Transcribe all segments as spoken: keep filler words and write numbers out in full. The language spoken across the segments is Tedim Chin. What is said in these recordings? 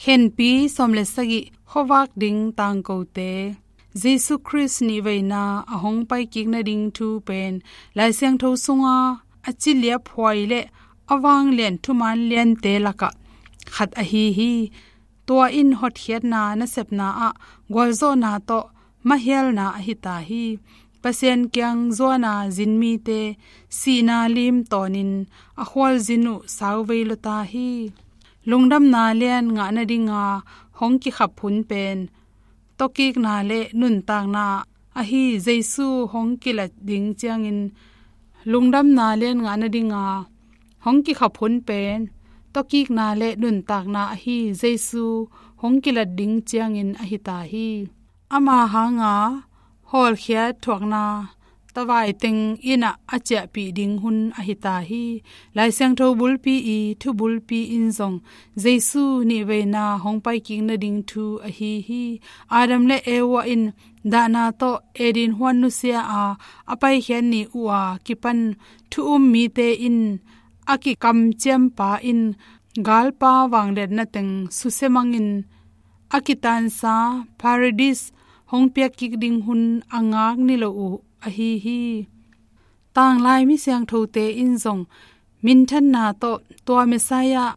Khenpi sawm le sagih, khuavak ding tangkote. Jesu Khrist nihveina a hong paikik nading thu pen Lai Siangtho sunga a ciliap huai le a vanglian thuman liante lakah khat ahi hi. Tua in hotkhiatna nasepna ah gualzawhna tawh mahialna ahi ta hi. Pasian kiang zuana zin mite sihna lim tawnin a khualzin uh sauvei lo ta hi. Lungdamna lian ngah nadinga hong kikhap hun pen tawkikna le nuntakna ahi Jesu hong kilat ding ciangin, lungdamna lian ngah nadinga hong kikhap hun pen tawkikna le nuntakna ahi Jesu hong kilat ding ciangin ahi ta hi. Ama hanga hawlkhiat thuakna tavai teng innah a ciahpih ding hun ahi ta hi. Lai Siangtho bulpi i thu bulpi in zong Jesu nihveina hong paikik nading thu ahi hi. Adam le Eva in dahna tawh Eden huan nusia a, a paikhiat ni uh a kipan thu um mite in a kikamciampa in galpa vangliatna teng susia mangin a kitansa Paradis hong piakkik ding hun a ngak ni lo uh ahi hi. Tanglai mi siangthote in zong minthanna tawh tua Messiah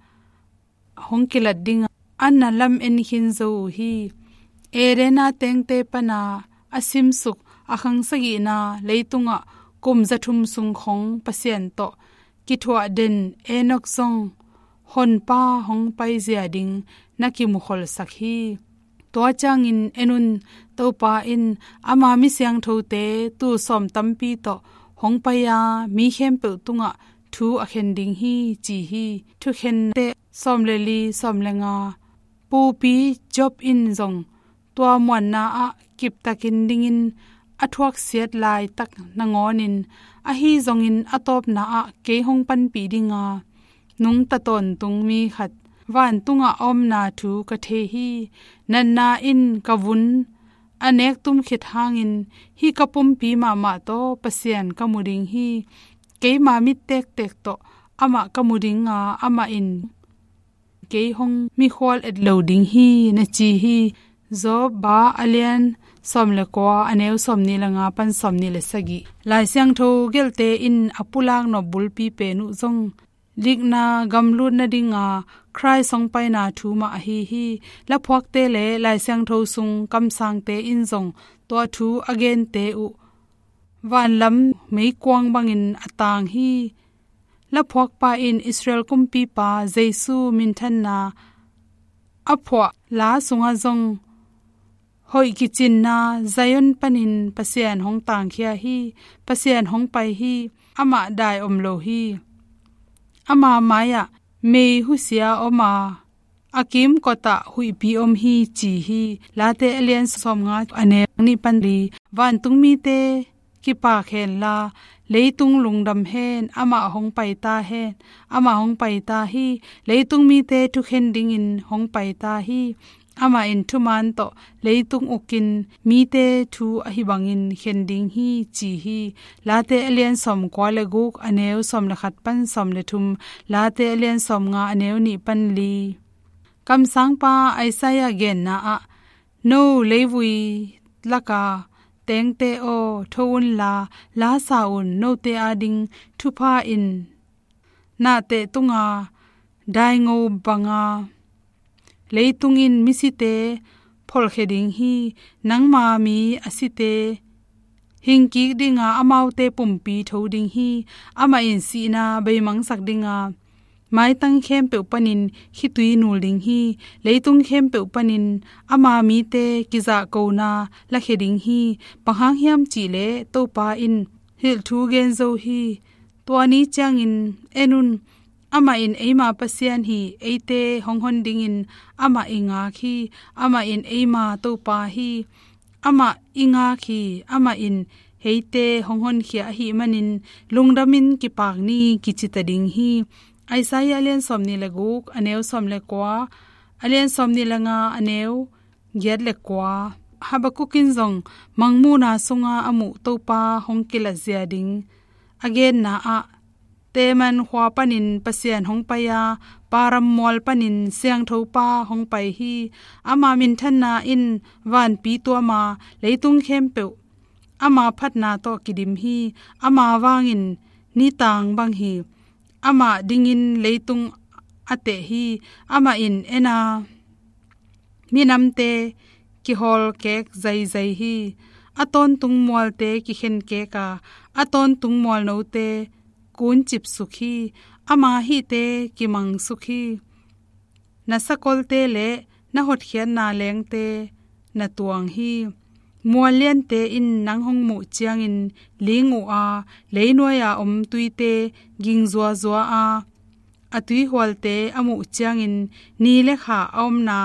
hong kilat dinga an na lam en khin zo uh hi. Edena tengte pana a simsuk a khang sagihna leitungah kum zathum sung khong Pasian tawh kithuah den Enok zong honpa hong paizia ding na kimukholsak hi. Tua ciangin en un, Topa in ama mi siangthote tul sawm tampi tawh hong pai a, mi khempeuh tungah thu a khen ding hi, ci hi. Thukhente sawm le li, sawm le nga. Pupi Job in zong tua muanna ah kiptakin dingin a thuaksiat laitak nangawnin, ahi zongin a tawpna ah kei hong panpih dinga nungta tawntung mi khat vantungah a omna thu ka thei hi. Natna in ka vun a nek tum khit hangin hih ka pumpi mahmah tawh Pasian ka mu ding hi. Keima mit tektek tawh amah ka mu dinga, amah in kei hong mikhual et lo ding hi, na ci hi. Job a lian sawm le kua, a neu sawm nih le nga pan sawm nih le sagih. Lai Siangtho gelte in a pulak nop bulpi pen uh zong likna gamlut nadinga Khrist hong paina thu mah ahi hi. Laphuakte le Lai Siangtho sung kamsangte in zong tua thu a gente uh vanlam meikuang bangin a tang hi. Laphuakpa in Israel kumpipa Jesu minthanna a phuah la sungah zong hoih kicinna Zion panin Pasian hong tangkhia hi. Pasian hong pai hi. Amah dai om lo hi. Ama mai-ah mei husia om a, a kimkotah huihpi om hi, ci hi. Late a lian sawmnga, a neu nih pan li. Vantung mite kipak henla, leitung lungdam hen, amah hong pai ta hen, amah hong pai ta hi. Leitung mite thukhen dingin hong pai ta hi. Amah in thuman tawh leitung ukin mite thu ahi bangin khen ding hi, ci hi. Late a lian sawmkua le guk, a neu sawm le khat pan sawm le thum. Late a lian sawmnga, a neu nih pan li. Kamsangpa Isaiah genna ah, no leivui laka tengte aw, tho unla, la sa un, note ading thupha in nahte tunga daingo banga leitung in misite pholkhia ding hi. Nangma mi a site hingkik dinga, amaute pumpi tho ding hi. Amah in sihna beimangsak dinga, maitang khempeuh panin khitui nul ding hi. Leitung khempeuh panin ama mite kizahkona lakhia ding hi. Bang hang hiam cihleh Topa in hilh thu gen zo hi. Tua ni ciangin en un, amah in eima Pasian hi, eite hong hon dingin amah i ngak hi. Amah in eima Topa hi. Amah i ngak hi. Amah in eite hong honkhia ahih manin lungdamin kipak ni, kicita ding hi. Isaiah a lian sawm nih le guk, a neu sawm le kua, a lian sawm nih le nga, a neu giat le kua. Habakkuk in zong mangmuhna sunga a muh Topa hong kilatzia ding a genna ah, Teman khua panin Pasian hong pai a, Paran mual panin Siangtho Pa hong pai hi. Ama minthanna in vanpi tuam a, leitung khempeuh ama phatna tawh kidim hi. Ama vangin nitang bang hi. Amah dingin leitung a teh hi. Amah in en a, minamte kihawlkek zaizai hi. A tawntung mualte kikhenkek a, a tawntung mualnote kuncipsuk hi. Ama hihte kimangsuk hi. Na sakolte le na hotkhiatna lengte na tuang hi. Mual liante in nang hong muh ciangin ling uh a, leinuai-a om tuite ging zuazua a, a tuihualte a muh ciangin ni le kha a omna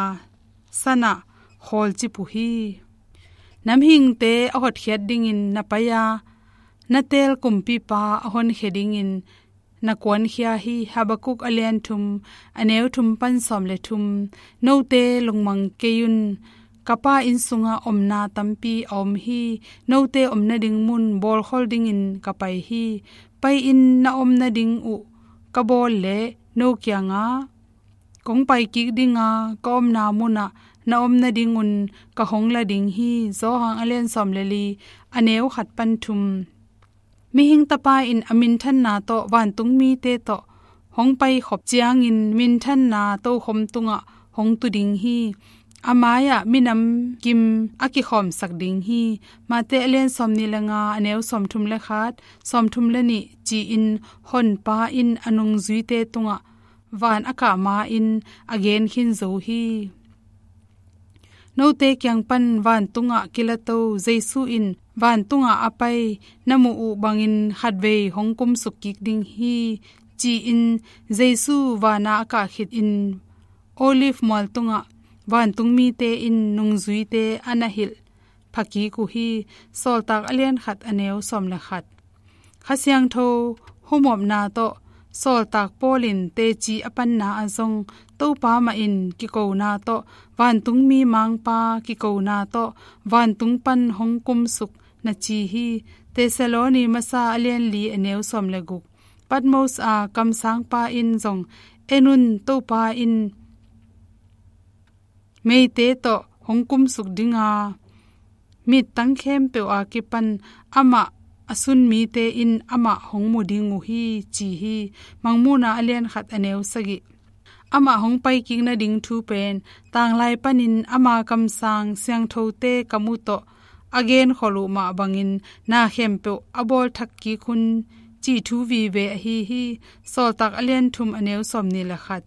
sanah khawlcip uh hi. Na mihingte a hotkhiat dingin na pai a, na teel kumpipa a honkhia dingin na kuankhia hi. Habakuk a lian thum, a neu thum pan sawm le thum. Note lungmang kei un. Ka Pa inn sungah omna tampi a om hi. Note omna ding mun bawlkhol dingin ka pai hi. Pai-in na omna ding uh ka bawl leh no kiangah kong paikik ding a, ka omna munah na om nadingun ka hong la ding hi. Johan a lian sawm le li, a neu khat pan thum. Mihing Tapa in a minthanna tawh vantung mite tawh hong paikhop ciangin minthanna tokhom tungah hong tu ding hi. A mai-ah minam kim a kikhawmsak ding hi. Mate a lian sawm nih le nga, a neu sawm thum le khat, sawm thum le nih ci-in Honpa in a nungzuite tungah van a kah ma-in a gen khin zo hi. Note kiang pan vantungah kilato Jesu in vantungah a pai na muh uh bangin khatvei hong kumsuk kik ding hi, ci-in Jesu vana a kah khit in Olive mual tungah vantung mite in nungzuite a na hilh phakik uh hi. Sawltak a lian khat, a neu sawm le khat. Kha Siangtho humopna tawh Sawltak Paul in teci a panna ah zong Topa mah in kikona tawh, vantungmi mangpa kikona tawh vantung pan hong kumsuk na ci hi. Thessaloni masa a lian li, a neu sawm le guk. Patmos a kamsangpa in zong, en un, Topa in meite tawh hong kumsuk ding a, mittang khempeuh a kipan amah a sun mite in amah hong mu ding uh hi, ci hi. Mangmuhna a lian khat, a neu sagih. Amah hong paikik nading thu pen tanglai panin ama kamsang siangthote kam uh tawh a genkhol uh mah bangin na khempeuh a bawlthak kik un, cih thu vive ahi hi. Sawltak a lian thum, a neu sawm nih le khat.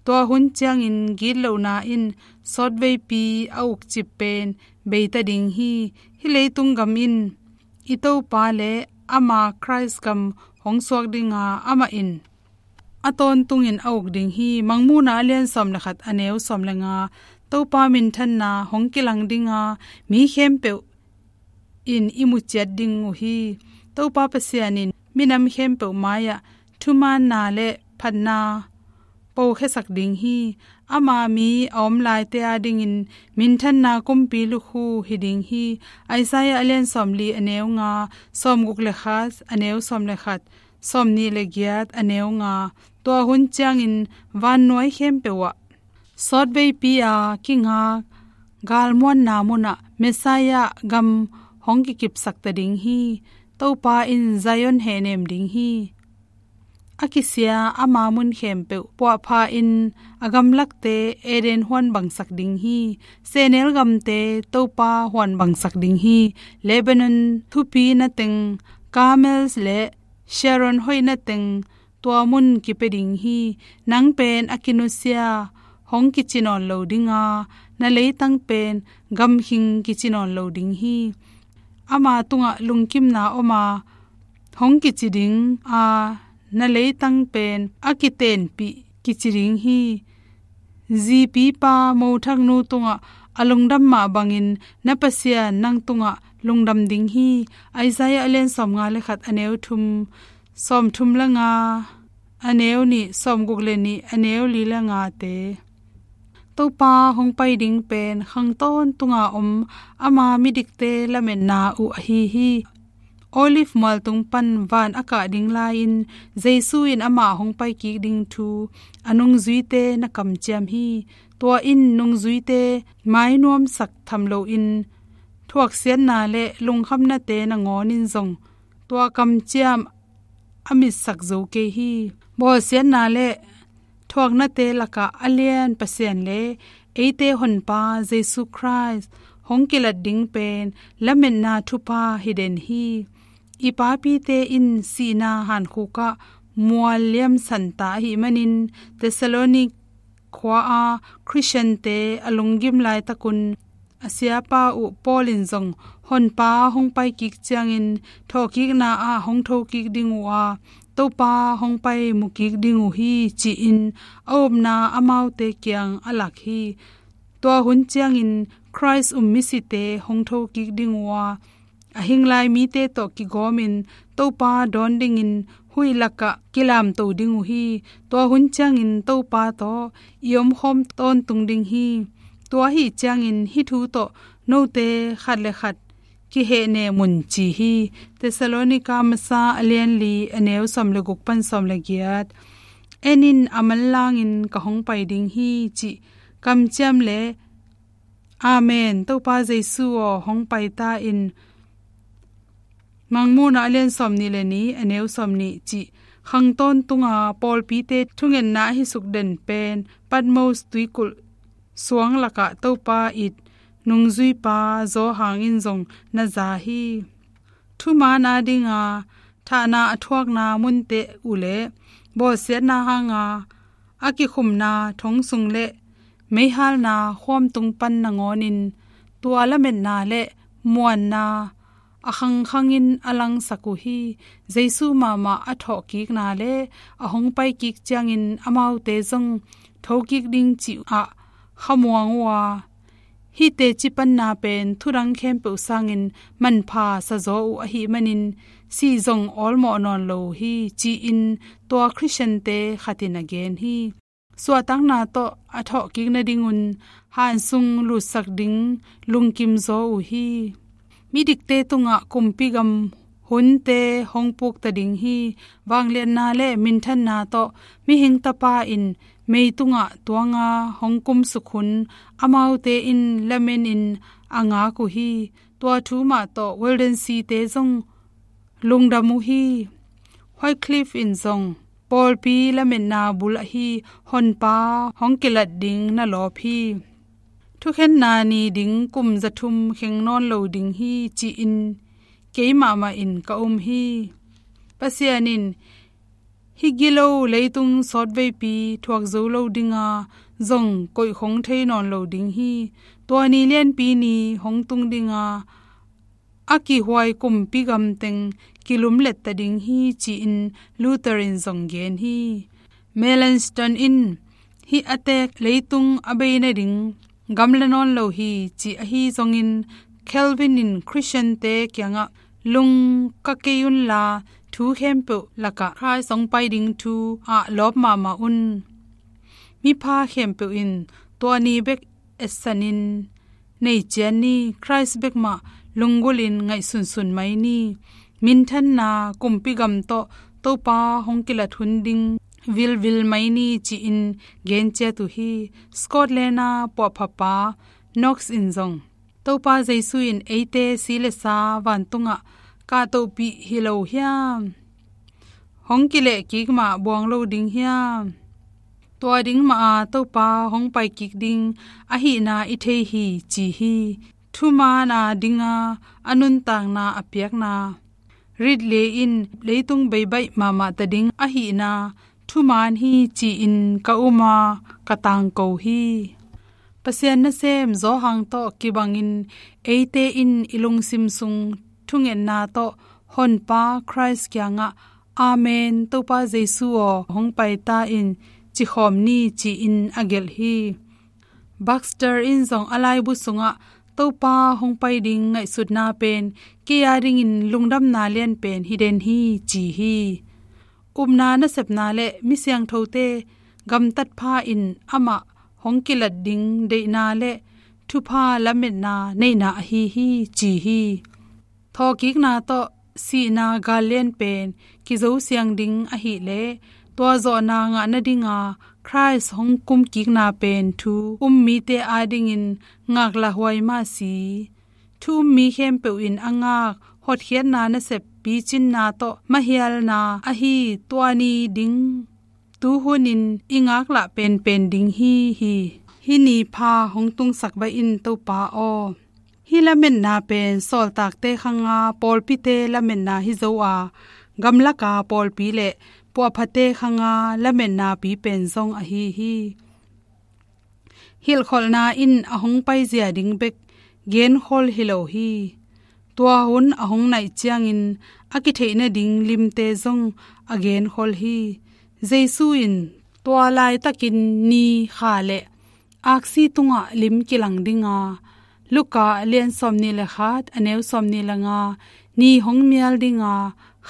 Tua hun ciangin gitlohna in sawtveipi a ukcip pen beita ding hi. Hih leitung gam in i Topa le ama Khrist gam hong suak ding a, amah in a tawntungin a uk ding hi. Mangmuhna a lian sawm le khat, a neu sawm le nga. Topa minthanna hong kilang ding a, mi khempeuh in i mu ciat ding uh hi. Topa Pasian in minam khempeuh mai-ah thumaanna le phatna pokhiasak ding hi. Ama mi a om laite adingin minthanna kumpi lukhu hi ding hi. Isaiah a lian sawm li, a neu nga, sawm guk le khat, a neu sawm le khat, sawm nih le giat, a neu nga. Tua hun ciangin vannuai khempeuh ah sawtveipi a kingak galmuanna munah Messiah gam hong kikipsak ta ding hi. Topa in Zion hehnem ding hi. A kisia ama mun khempeuh puahpha in a gamlakte Eden huan bangsak ding hi. Sehnel gamte Topa huan bangsak ding hi. Lebanon thupi nateng, Carmel le Sharon hoih nateng, tua mun kipia ding hi. Nang pen a kinusia hong kici nawn lo ding a, na leitang pen gamkhing kici nawn lo ding hi. Ama tungah lungkimna om a, hong kici ding a, na leitang pen a kitenpih kici ding hi. Zipipa mothaknu tungah a lungdam mah bangin na Pasian nang tungah lungdam ding hi. Isaiah a lian sawm nga le khat, a neu thum, sawm thum le nga, a neu nih, sawm guk le nih, a neu li le nga te. Topa hong pai ding pen khang tawntunga om ama midikte lametna uh ahi hi. Olive mualtung pan van a kah ding lai-in Jesu in amah hong paikik ding thu a nungzuite na kamciam hi. Tua in nungzuite mainuamsak tham loin thuaksiatna le lungkhamnate nangawn in zong tua kamciam a mitsak zo kei hi. Bawlsiatna le thuaknate lakah a lian Pasian le eite Honpa Jesu Khrist hong kilat ding pen lametna thupha hi den hi. I papite in sihna hankhuk ah mual liamsan ta ahih manin Thessalonik khua-a Khristiante a lunggim laitakun a siapa uh Paul in zong Honpa hong paikik ciangin thawhkikna ah hong thokik ding uh a, Topa hong pai mukik ding uh hi ci-in a upna amaute kiang a lak hi. Tua hun ciangin Khrist um misite hong thokik ding uh a, a hing lai mite tawh kigawmin Topa dawn dingin huih lakah kilamto ding uh hi. Tua hun ciangin Topa tawh i omkhawm tawntung ding hi. Tua ahih ciangin hih thu tawh note khat le khat kihehnem un ci hi. Thessalonika masa a lian li a neu sawm le guk pan sawm le giat. En in, a manlangin ka hong pai ding hi cih kamciam le Amen, Topa Jesu aw, hong pai ta in. Mangmuhna a lian sawm nih le nih a neu sawm nih cih khang tawntunga pawlpite thungetna ahi suk den pen Patmos tuikulh suang lakah Topa it nungzuipa Zawhang in zong na za hi. Thumaan a dinga thahna a thuakna munte uh le bawlsiatna hanga a kikhumna thong sung le meihalna khuamtung pan nangawnin tua lametna le muanna a khangkhangin a langsak uh hi. Jesu mahmah a thawhkikna le a hong paikik ciangin amaute zong thokik ding cih ah khamuang uh a, hih teci panna pen thudang khempeuh sangin manpha sazaw uh ahih manin sih zong awlmawh nawn lo uh hi ci-in tua Khristiante khat in a gen hi. Suahtakna tawh a thawhkik nadingun han sung lutsak ding lungkim zaw uh hi. Midikte tungah kumpi gam hunte hong pukta ding hi. Vangliatna le minthanna tawh mihing tapa in mei tungah tuanga hong kumsuk hun amaute in lamenin a ngak uh hi. Tua thu mah tawh Waldensi-te zong lungdam uh hi. Wycliffe in zong pawlpi lametna bul ahi Honpa hong kilat ding na lawp hi. Thukhenna ni ding kum zathum kheng nawn lo ding hi ci-in kei mahmah in ka um hi. Pasian in hih gilo leitung sawtveipi thuak zo lo dinga zong koihkhong thei nawn lo ding hi. Tua ni lianpi ni hong tung dinga a kihuai kumpi gamteng kilumlet ta ding hi ci-in Luther in zong gen hi. Melanchthon in hih a tek leitung a bei nading gamla nawn lo hi ci ahi zongin Calvin in Khristiante kiangah lung ka kei unla thu khempeuh lakah Khrist hong pai ding thu ah lawp mahmah un. Mipha khempeuh in tua ni bek etsanin nei cian ni. Khrist bek mah lunggulhin ngaihsunsun mai ni. Minthanna kumpi gam tawh Topa hong kilat hun ding vilvil mai ni ci-in gen ciat uh hi. Scotland a puahphapa Knox in zong Topa Jesu in eite si le sa vantungah kahtohpih hi lo hiam? Hong kilehkik mah buang lo ding hiam? Tua ding mah a Topa hong paikik ding ahihna i thei hi ci hi. Thumaan a dinga a nuntakna a piakna rit le in leitung beibaih mahmah ta ding ahihna thumaan hi ci-in ka um a ka tangko hi. Pasian nasem Zawhang tawh kibangin eite in i lungsim sung thungetna tawh Honpa Khrist kiangah Amen, Topa Jesu aw, hong pai ta in cikhawm ni ci-in a gelh hi. Baxter in zong a laibu sungah Topa hong pai ding ngaihsutna pen kei a dingin lungdamna lian pen hi den hi ci hi. Upna nasepna le mi siangthote gamtat pha in amah hong kilat ding deihna le thupha lametna neihna ahi hi ci hi. Thawhkikna tawh sihna gallian pen kizosiang ding ahileh, tua zawhna ngah nadinga Khrist hong kumkikna pen thu um mite adingin ngaklahhuai mah si. Thu um mi khempeuh in a ngak hotkhiatna nasep picinna tawh mahialna ahi tua ni ding tu hunin i ngaklah penpen ding hi hi. Hih ni pha hong tungsak baih in Topa aw. Hih lametna pen sawltakte khanga pawlpite lametna hi zo a, gamlaka pawlpi le puahphate khanga lametnapi pen zong ahi hi. Hilhkholhna in a hong paizia ding bek genkhol hi lo hi. Tua hun a hong naih ciangin a kitheih nading limte zong a genkhol hi. Jesu in tua laitakin ni, kha le aksi tungah lim kilang dinga, Luka a lian sawmnih le khat, a neu sawmnih le nga, ni hong mial dinga,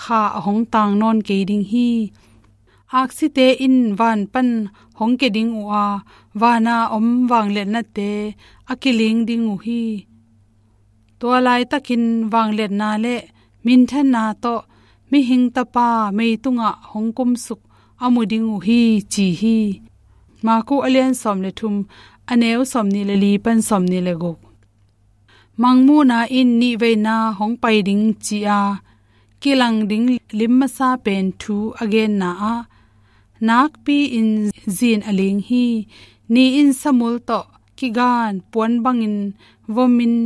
kha a hong tang nawn kei ding hi. Aksite in van pan hong kia ding uh a, vana om vangliatnate a kiling ding uh hi. Tua laitakin vangliatna le minthanna tawh mihing tapa meitungah hong kumsuk a mu ding uh hi, ci hi. Maku a lian sawm le thum, a neu sawmnih le li pan sawmnih le guk. Mangmuhna in nihveina hong pai ding ci-a kilang ding lim masa pen thu a genna ah, nakpi-in zin a ling hi. Ni in samul tawh kigan puan bangin vomin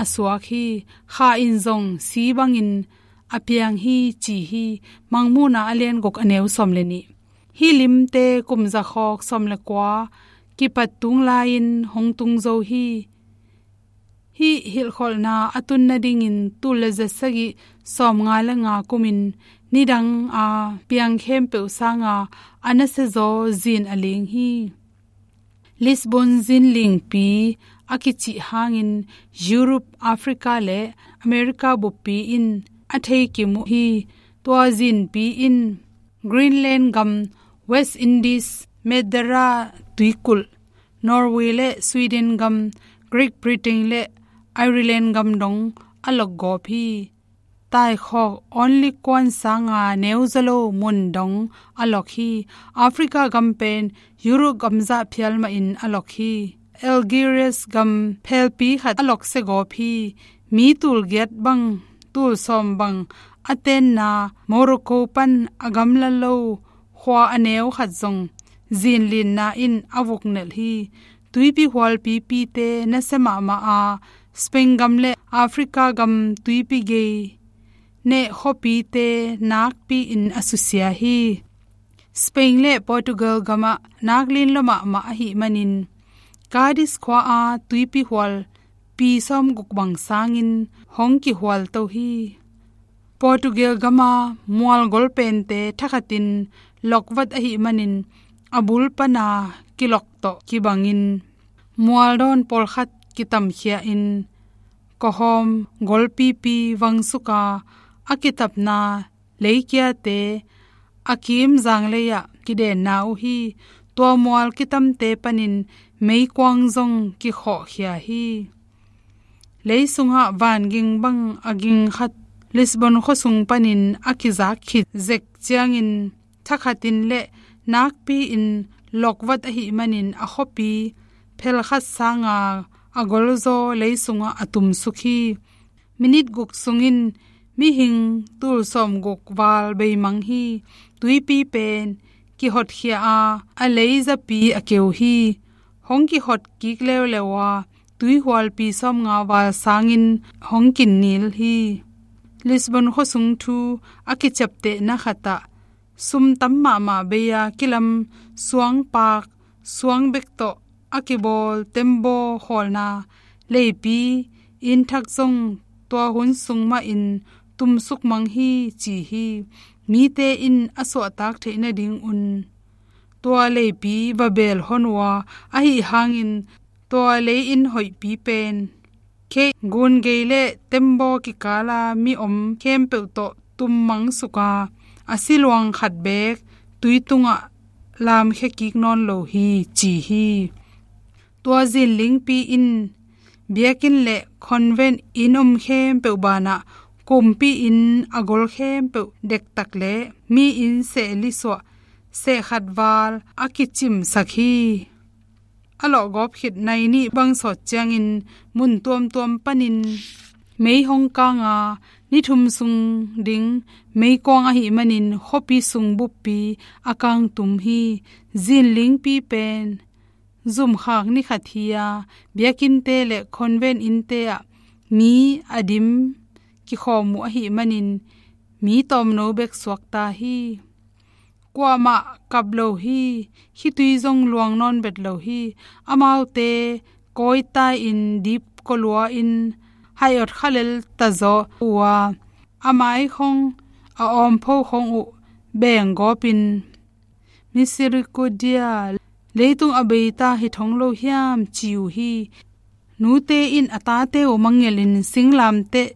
a suak hi. Kha in zong si bangin a piang hi, ci hi. Mangmuhna a lian guk, a neu sawm le nih. Hih limte kum zakhawk sawm le kua kipat tung lai-in hong tung zo hi. Hih hilhkholhna a tun nadingin tul le za sagih sawmnga le nga kumin nidanga piang khempeuh sanga a nasiazaw zin a ling hi. Lisbon zinlingpi a kicih hangin Europe, Africa le America buppi in a theikim uh hi. Tua zinpi in Greenland gam, West Indies, Madeira tuikulh, Norway le Sweden gam, Great Britain le Ireland gam dong a lokgawp hi. Taikhawk Only Kuan sanga neu zalo mun dong a lok hi. Africa gam pen Europe gam zah phial mahin a lok hi. Algiers gam phelpi khat a loksia gawp hi. Mi tul giat bang, tul sawm bang a tenna Morocco pan a gamla lo khua a neu khat zong zinlinna in a vuknelh hi. Tuipi hualpipite nasia mahmah a, Spain gam le Africa gam tuipi gei neh khuapite nakpi-in a susia hi. Spain le Portugal gamah naklin lua mahmah ahih manin, Cadiz khua-a tuipi hual pi sawmguk bang sangin hong kihualto hi. Portugal gama mual golpente thakhatin lokvat ahih manin, a bul pana kilok tawh kibangin mualdawn pawlkhat kitamkhia-in, kawhawm golpipi vangsuka a kitapna leikiate a kim zanglei-ah kidenna uh hi. Tua mual kitamte panin meikuang zong kikhawhkhia hi. Leisungah vanging bang a ging khat Lisbon khuasung panin a kizak khit zek ciangin, thakhatin le nakpi-in lokvat ahih manin a khuapi phelkhat sanga a golzaw leisungah a tumsuk hi. Minit guk sungin mihing tul sawmguk val beimang hi. Tuipi pen kihotkhia a, a leizapi a keu hi. Hong kihot kik leuleu a, tuihualpi sawmnga val sangin hong kinnil hi. Lisbon khuasung thu a kiciaptehna khatah, sum tam mahmah bei-a kilam suangpak, suang bek tawh a kibawl tembaw khawlna leipi inn thak zong tua hun sung mahin tumsuk mang hi, ci hi. Mite in a suahtak theih nadingun tua leipi va beel hon uh a, ahi hangin tua lei-inn hoihpi pen kheih, gun gei le tembaw kikala mi om khempeuh tawh tum mangsuka, a siluang khat beek tui tungah lamkhia kik nawn lo hi, ci hi. Tua zinlingpi in biakinn le convent inn om khempeuh banah kumpi in a gol khempeuh dektak le mi in seh li suah, seh khat val a kicimsak hi. A lawhgawp khit nai nih bang sawt ciangin mun tuamtuam panin mei hong kang a, ni thum sung ding meikuang ahih manin khuapi sung buppi a kang tum hi. Zinlingpi pen zumkhak ni khat hi a, biakinnte le convent innte ah mi a dim kikhawm uh ahih manin mi tawmno bek suakta hi. Kuamah kap lo hi. Khitui zong luang nawn bet lo hi. Amaute kawitai-in dip kolua-in hai awt khalel tazaw uh a, a mai khong, a awmpho khong uh beng gawpin Misericordia, leitung a beita hi thong lo hiam, ci uh hi. Nute in a tate uh mangngilhin singlamteh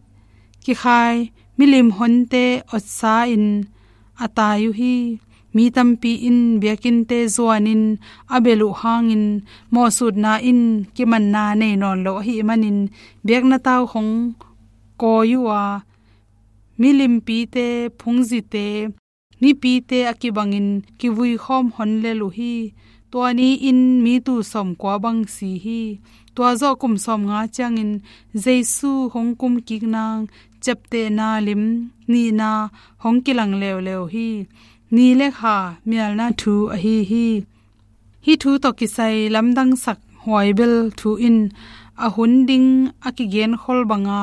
kikhai, milim honte otsa-in a tai uh hi. Mi tampi in biakinnte zuanin a belh uh hangin mawhsutna in kimanna nei nawn lo ahih manin biakna tau hong kawi uh a, milimpite, phungzite, mipite a kibangin kivui khawm hon lel uh hi. Tua ni-in mi tul sawmkua bang si hi. Tua zawh kum sawmnga ciangin Jesu hong kum kik nang ciaptehna lim nihna hong kilang leuleu hi. Ni le kha mialna thu ahi hi. Hih thu tawh kisai lamdangsak huaibel thu in a hun ding a kigenkhol banga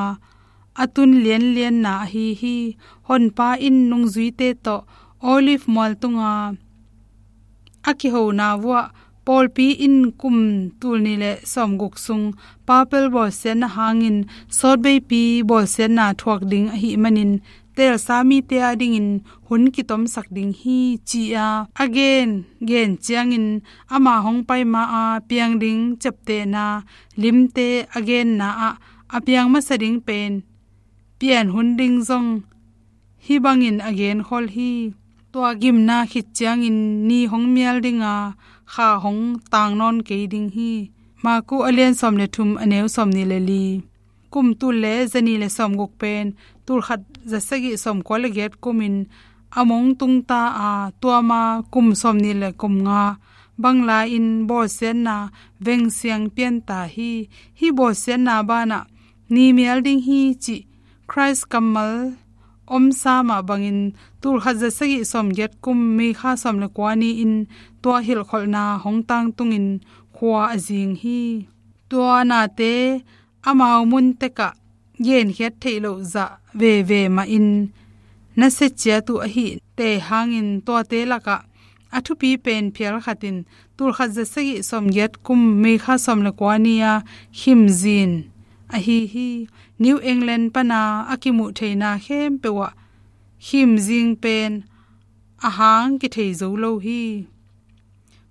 a tun lianlianna ahi hi. Honpa in nungzuite tawh Olive mual tunga a kihona vuah pawlpi in kum tul nih le sawmguk sung papal bawlsiatna hangin sawtveipi bawlsiatna thuak ding ahih manin teelsa mite adingin hun kitomsak ding hi, ci-a a gen gen ciangin ama hong pai ma-a piang ding ciaptehna limte a genna ah a piang masa ding pen pian hun ding zong hih bangin a genkhol hi. Tua gimna khit ciangin ni hong mial dinga kha hong tang nawn kei ding hi. Maku a lian sawm le thum, a neu sawmnih le li. Kum tul le zanih le sawmguk pen tul khat za sagih sawmkua le giat kumin a mong tungta a, tua ma kum sawmnih le kum nga bang lai-in bawlsiatna vengsiang pianta hi. Hih bawlsiatna banah ni mial ding hi cih Khrist kammal omsa mah bangin tul khat za sagih sawmgiat kum May kha sawm le kua ni-in tua hilhkholhna hong tangtungin khua a zing hi. Tua nate amau mun tekah genkhiat theih loh zah veve mahin nasia ciat uh ahih teh hangin tuate lakah a thupi pen phial khat in tul khat za sagih sawmgiat kum May kha sawm le kua ni-a khimzin ahi hi. New England pana a kimuh theihna khempeuh ah khimzing pen a hang kithei zo lo hi.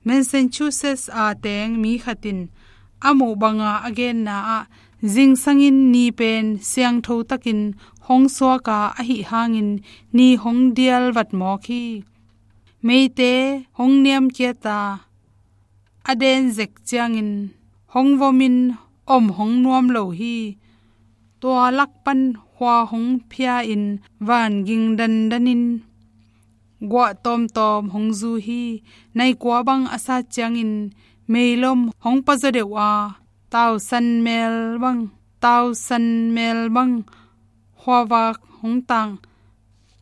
Massachusetts a teng mi khat in a muh banga a genna ah zingsangin ni pen siangtho takin hong suaka ahih hangin ni hong dial vatmawk hi. Meite hong niamkiat a, a den zek ciangin hong vomin om hong nuam lo hi. Tua lak pan khua hong phia-in van ging dandanin guah tawmtawm hong zu hi. Nai kua bang a sat ciangin meilom hong pazaw deuh a, tausan mel bang, tausan mel bang khuavak hong tang,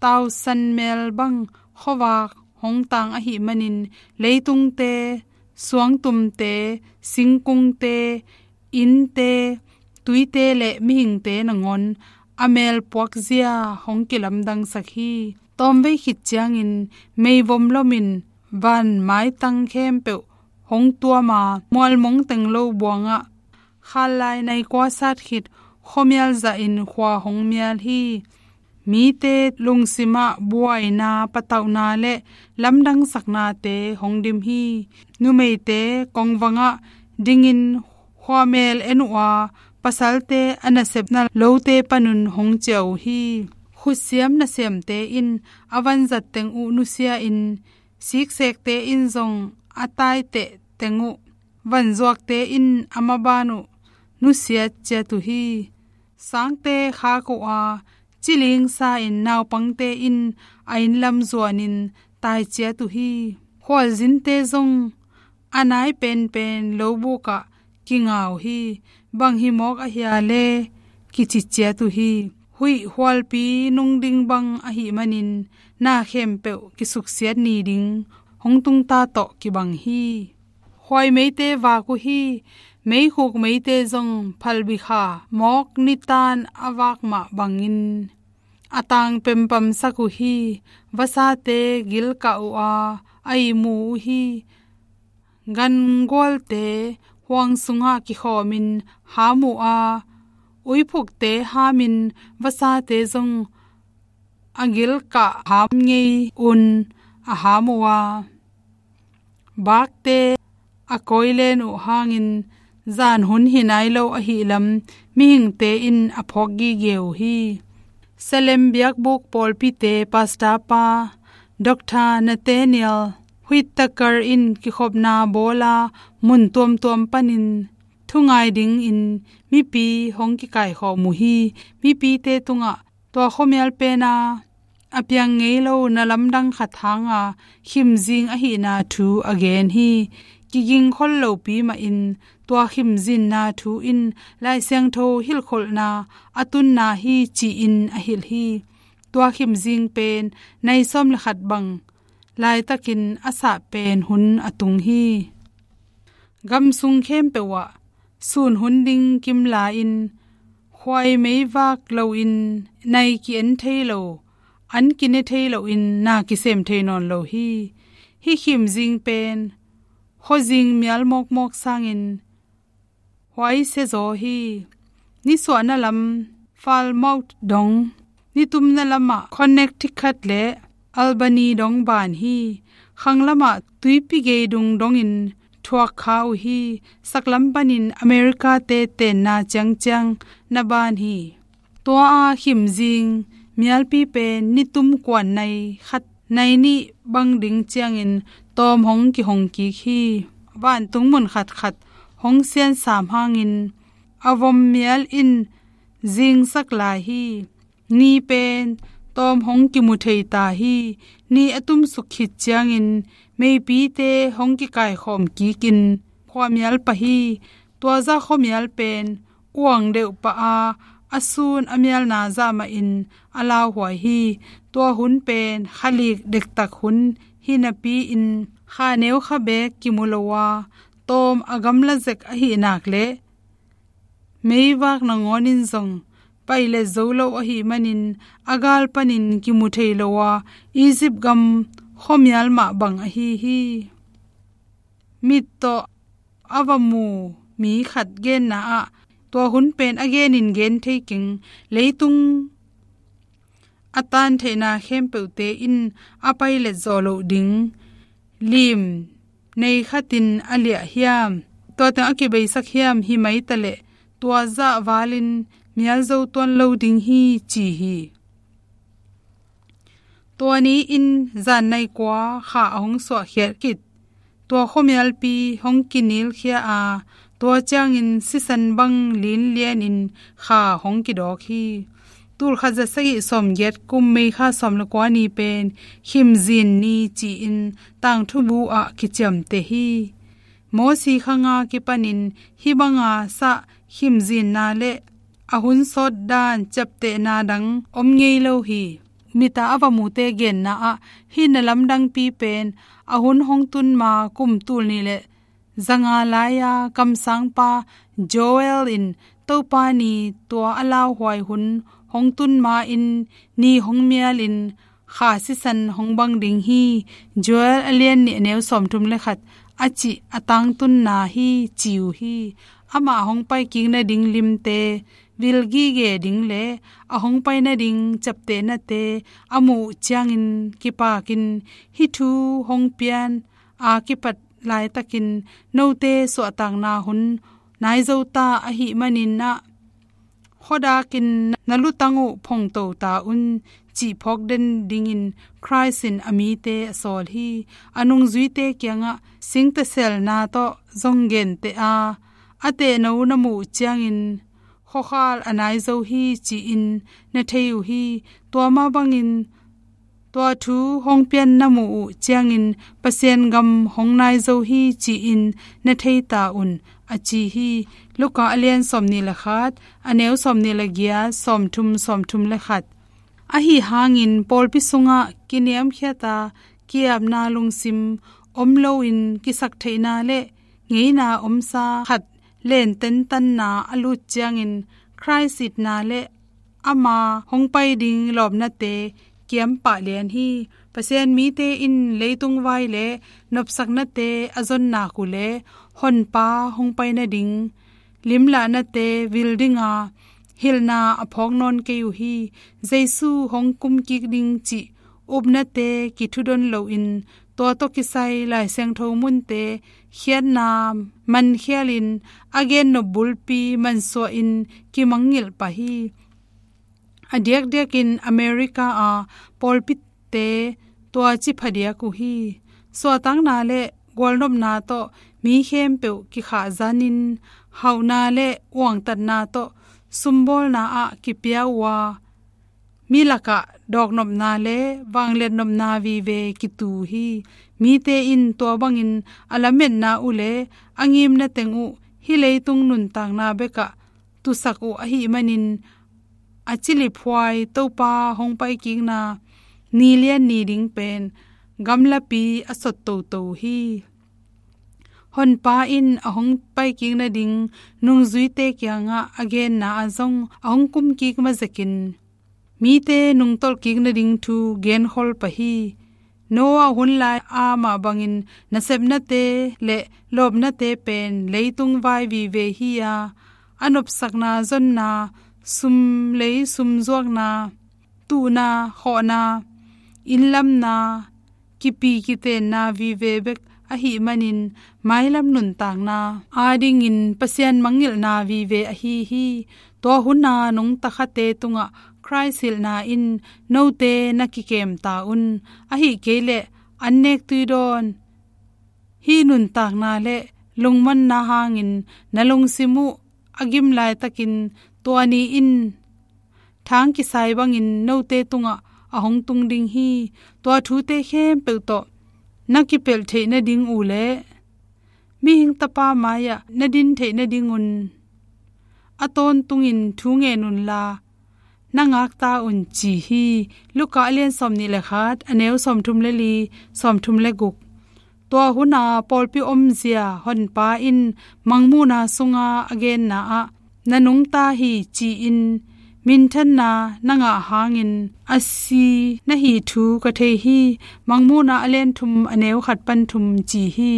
tausan mel bang khuavak hong tang ahih manin leitungte, suangtumte, singkungte, innte, tuite le mihingte nangawn a mel puakzia hong kilamdangsak hi. Tawmvei khit ciangin meivom lomin van maitang khempeuh hong tuam a, mualmong teng lo buangah khatlai nai kua sat khit khuamial zahin khua hong mial hi. Mite lungsimah buaina, patauhna le lamdangsaknate hong dim hi. Numeite kongvangah dingin khuamel en uh a, pasalte a nasepna lote panun hong ciah uh hi. Khutsiam nasemte in a vanzat teng uh nusia-in siksekte in zong a taiteh teng uh, vanzuakte in a maban uh nusiat ciat uh hi. Sangte khak uh a, cilingsa in naupangte in a innlam zuanin taiciat uh hi. Khualzinte zong a nai penpen lobukah kinga uh hi. Bang hi mawk ahia le kiciciat uh hi. Huih hualpi nung ding bang ahih manin na khempeuh kisuksiat ni ding hong tungta tawh kibang hi. Khuai meite vak uh hi. Meikhuk meite zong phalbi kha mawk nitan a vak mah bangin a tang pempamsak uh hi. Vasate gilkah uh a, a ihmu uh hi. Gangualte huang sungah kikhawmin ham uh a, uiphukte hamin vasate zong a gilkah ham ngei un a ham uh a, bakte a koilen uh hangin zan hun hi nai lo ahih lam mihingte in a phawk gige uh hi. Salem biakbuk pawlpite pastor pa Doctor Nathaniel Whitaker in kikhopna bawla mun tuamtuam panin thungai dingin mipi hong kikaikhawm uh hi. Mipite tungah tua khuamial pena a piang ngei lo na lamdang khat hanga khimzing ahihna thu a gen hi. Kiging khol lopi mahin tua khimzinna thu in Lai Siangtho hilhkholhna a tunna hi ci-in a hilh hi. Tua khimzing pen nai sawm le khat bang laitakin a sah pen hun a tung hi. Gamsung khempeuh ah sun hun ding kimla-in khuai meivak loin nai ki-en thei lo, an kine thei loin na kisem thei nawn lo hi. Hih khimzing pen khuazing mial mawkmawk sangin huaisia zaw hi. Nisuahna lam Falmouth dong, nitumna lamah Connecticut le Albany dong ban hi. Khanglamah tuipi geidung dongin thuak kha uh hi. Saklam panin America-te tenna ciangciang na ban hi. Tua a khimzing mialpi pen nitum kuan nai khat nai nih bang ding ciangin tawm hong kihong kik hi. Vantung mun khatkhat hong siansam hangin a vom mial in zingsak lai hi. Ni pen tawm hong kimu thei ta hi. Ni a tumsuk khit ciangin meipite hong kikaikhawm kikin khuamial pah hi. Tua zah khuamial pen uang deuh pah a, a sun a mialna zah mahin a lauhuai hi. Tua hun pen khalik dektak hun hi napi-in kha neu kha beek kimu lo a, tawm a gamla zek ahih nak le meivak nangawnin zong pailet zo lo ahih manin a gal panin kimu thei lo a, Egypt gam khuamial mah bang ahi hi. Mit tawh a va mu mi khat genna ah tua hun pen a genin gen thei keng, leitung a tan theihna khempeuhte in a pailet zawh loh ding lim nei khatin a liah hiam, tua teng a kibeisak hiam hi mai taleh tua zah valin mial zo tuan lo ding hi ci hi. Tua ni-in zan nai kua kha a hong suahkhiat khit, tua khuamialpi hong kinilkhia a, tua ciangin sisan bang linlianin kha hong kidawk hi. Tulkhat za sagih sawmgiat kum May kha sawm le kua ni pen khimzin ni ci-in tangthubu ah kiciamteh hi. Mosi khanga kipanin hih banga sah khimzinna le a hun sawt dan ciaptehna dang om ngei lo hi. Mita a va mute genna ah hih na lamdangpi pen a hun hong tun ma kum tul nih le zanga lai-a kamsangpa Joel in Topa ni tua a lauhuai hun hong tun ma-in ni hong mialin kha sisan hong bang ding hi. Joel a lian nih a neu sawmthum le khat a cih a tangtunna hi ci uh hi. Amah hong pai kik nading limte vil gige ding le a hong pai nading ciaptehnate a muh ciangin kipakin hih thu hong pian a kipat laitakin note suahtakna hun nai zo ta ahih manin ah khuadakin na lutang uh phongto ta un cih phawk den dingin Khrist in a mite a sawl hi. A nungzuite kiangah singteselna tawh zong genteh a, a tehno na muh ciangin khuakhal a nai zo hi ci-in na thei uh hi. Tua mah bangin tua thu hong pian na muh uh ciangin Pasian gam hong nai zo hi ci-in na thei ta un, a ci hi. Luka a lian sawmnih le khat, a neu sawmnih le giat, sawmthum, sawmthum le khat. Ahi hangin pawlpi sungah kiniamkhiata ki-apna lungsim om loin kisaktheihna le ngeina omsa khat len tentanna a lut ciangin Khrist itna le ama hong pai ding lawpnate kiampah lian hi. Pasian mite in leitung vai le nopsaknate a zon nak uh le Honpa hong pai nading limlahnate vil dinga hilhna a phawk nawn kei uh hi. Jesu hong kumkik ding cih upnate kithudon loin tua tawh kisai Lai Siangtho munte khiatna mankhialin a gennop bulpi mansuahin kimangngilh pah hi. A diakdiakin America a pawlpite tua ci phadiak uh hi. Suahtakna le gualnopna tawh mi khempeuh kikhahzanin hauhna le uangtatna tawh sumbawlna ah kipia uh a mi lakah dawknopna le vangliatnopna vive kitu hi. Mite in tua bangin a lametna uh le a ngimna teng uh hih leitung nuntakna bekah tusak uh ahih manin a ciliphuai Topa hong paikikna ni lian ni ding pen gamlapi a sot toto hi. Honpa in a hong paikik nading nungzuite kiangah a genna ah zong a hong kumkik mazekin mite nungtolhkik nading thu genkhol pah hi. Noah hun lai a mah bangin nasepnate le lawpnate pen leitung vai vive hi a, a nopsakna zonna, sum lei sum zuakna, tuhna khawhna, innlamna, kipi kitenna vive bek ahih manin mailam nuntakna adingin Pasian mangngilhna vive ahi hi. Tua huna nungta khate tungah Khrist hilhna in note na kikem ta un. Ahih kei leh an nek tui dawn hih nuntakna le lungmonna hangin na lungsim uh a gim laitakin tua ni in thang kisai bangin note tungah a hong tung ding hi. Tua thute khempeuh tawh na kipelh theih nading uh le mihing tapa mai-ah na din theih nadingun a tawntungin thu ngen unla na ngakta un ci hi. Luka a lian sawmnih le khat, a neu sawmthum le li, sawmthum le guk. Tua huna pawlpi omzia Honpa in Mangmuhna sunga a genna ah na nungta hi ci-in minthanna na ngah hangin a si na hi thu ka thei hi. Mangmuhna a lian thum, a neu khat pan thum ci hi.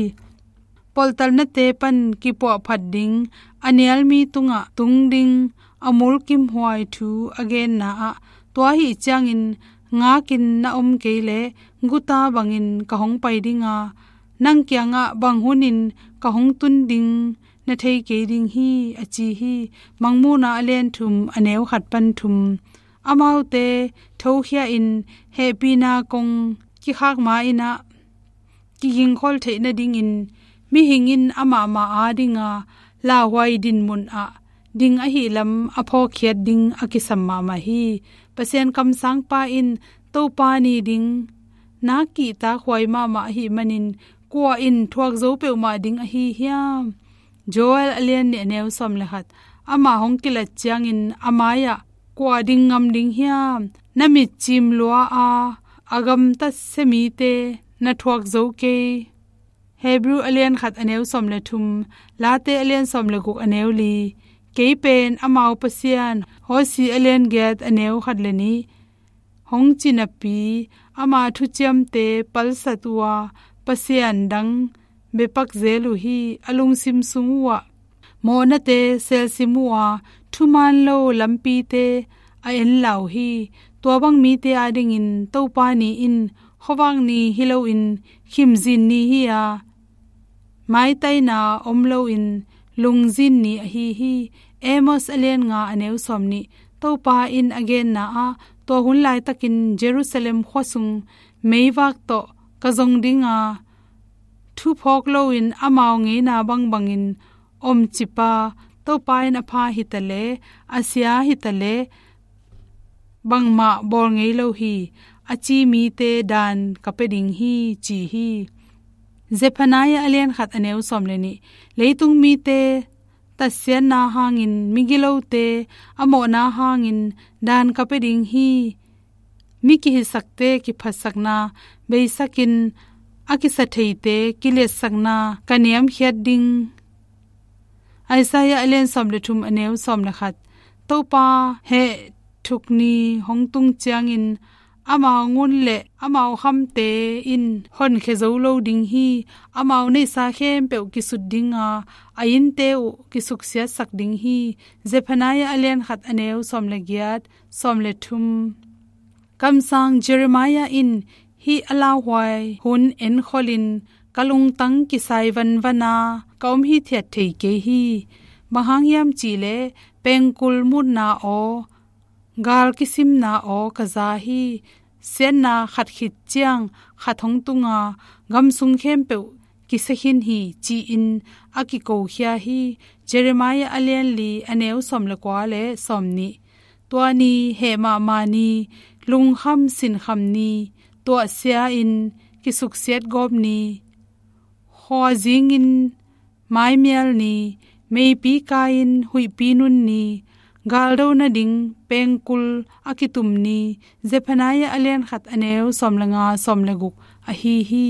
Poltalnate pan kipuahphat ding, a nialmi tungah tung ding a mulkimhuai thu a genna ah tua ahi ciangin ngakin na om kei leh guta bangin ka hong pai dinga, nang kiangah bang hunin ka hong tun ding na thei kei ding hi, a ci hi. Mangmuhna a lian thum, a neu khat pan thum. Amaute thokhia in hehpihna kong kikhak ma-in ah kigingkhol theih nadingin mihing in amahmah adinga lauhuai dinmun ah ding ahi lam a phawkkhiat ding a kisam mahmah hi. Pasian kamsangpa in Topa ni ding na kihtakhuai mahmah ahih manin kua in thuak zo peuhmah ding ahi hiam? Joel a lian nih, a neu sawm le khat. Amah hong kilat ciangin a mai-ah kua ding ngam ding hiam? Na mitcim lua a, a gamtat sia mite na thuak zo kei. Hebru a lian khat, a neu sawm le thum, Late a lian sawm le guk, a neu li. Kei pen amau Pasian, Hosea a lian giat, a neu khat le nih. Hong ci napi, ama thuciamte palsat uh a, pasian dang biapak zel uh hi. A lungsim sung uh ah mawhnate selsim uh a, thuman lo lampite a enla uh hi. Tua bang mite adingin Topa ni in khuavak ni hi loin khimzin ni hi a, maitaina om loin lungzin ni ahi hi. Amos a lian nga, a neu sawm nih. Topa in a genna ah tua hun laitakin Jerusalem khua sung meivak tawh ka zong dinga, thuphawk loin amau ngeina bangbangin omcip a, Topa in a pha hi ta le, a sia hi ta le, bangmah bawl ngei lo hi, a ci mite daan ka pia ding hi, ci hi. Zephaniah a lian khat a neu sawm le nih. Leitung mite tatsiatna hangin, migilote a mawhna hangin daan ka pia ding hi. Mi kihisakte kiphatsakna beisakin, a kisatheite kiliatsakna ka niamkhiat ding. Isaiah a lian sawm le thum a neu sawm le khat. Topa heh thuk ni hong tung ciangin, amau ngun le amau khamte in honkhia zo lo ding hi. Amau neihsa khempeuh kisut dinga, a innte uh kisuksiatsak ding hi. Zephaniah a lian khat a neu sawm le giat, sawm le thum. Kamsang Jeremiah in hih a lauhuai hun enkholhin, ka lungtang kisai vanvana ka om hithiat thei kei hi. Bang hang hiam cih leh, pengkul mutna aw, gal kisimna aw ka za hi. Siatna khat khit ciang khat hong tunga, gam sung khempeuh kisia khin hi, ci-in a kikokhia hi. Jeremiah a lian li a neu sawm le kua le sawm nih. Tua ni heh mahmah ni, lungkham sinkham ni, tuahsia-in kisuksiat gawp ni, khuazingin maimial ni, meipi kai-in huihpi nun ni, galdo nading pengkul a kitum ni. Zephaniah a lian khat a neu sawm le nga, sawm le guk ahi hi.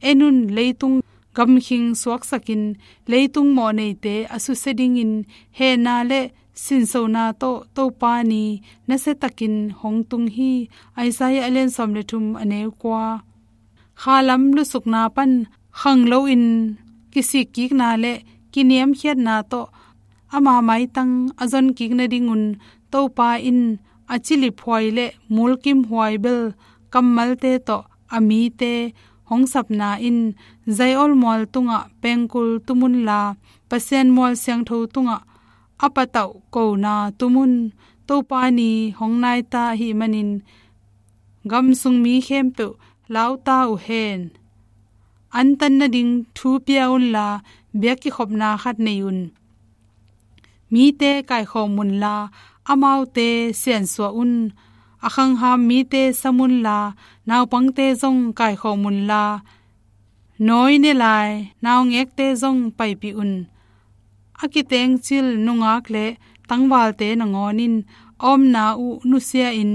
En un, leitung gamkhing suaksakin, leitung mawhneite a susia dingin, hehna le sinsona tawh Topa ni nasiatakin hong tung hi. Isaiah a lian sawm le thum a neu kua. Khalam lusukna pan khang loin, kisikkikna le kiniamkhiatna tawh ama maitang a zonkik nadingun, Topa in a ciliphuai le mulkimhuai bel kammalte tawh a mite hong sapna in, Zion mual tungah pengkul tum unla, Pasian mual siangtho tungah a patauh kona tum un. Topa ni hong naita ahih manin, gam sung mi khempeuh lauta uh hen. Antan nading thu pia unla, biak kikhopna khat nei un. Mite kaikhawm unla, amaute siansuah un. A khangham mite sam unla, naupangte zong kaikhawm unla, nawi ne lai naungekte zong paipih un. A kitengcil nungak le tangvalte nangawn in, a omna uh nusia-in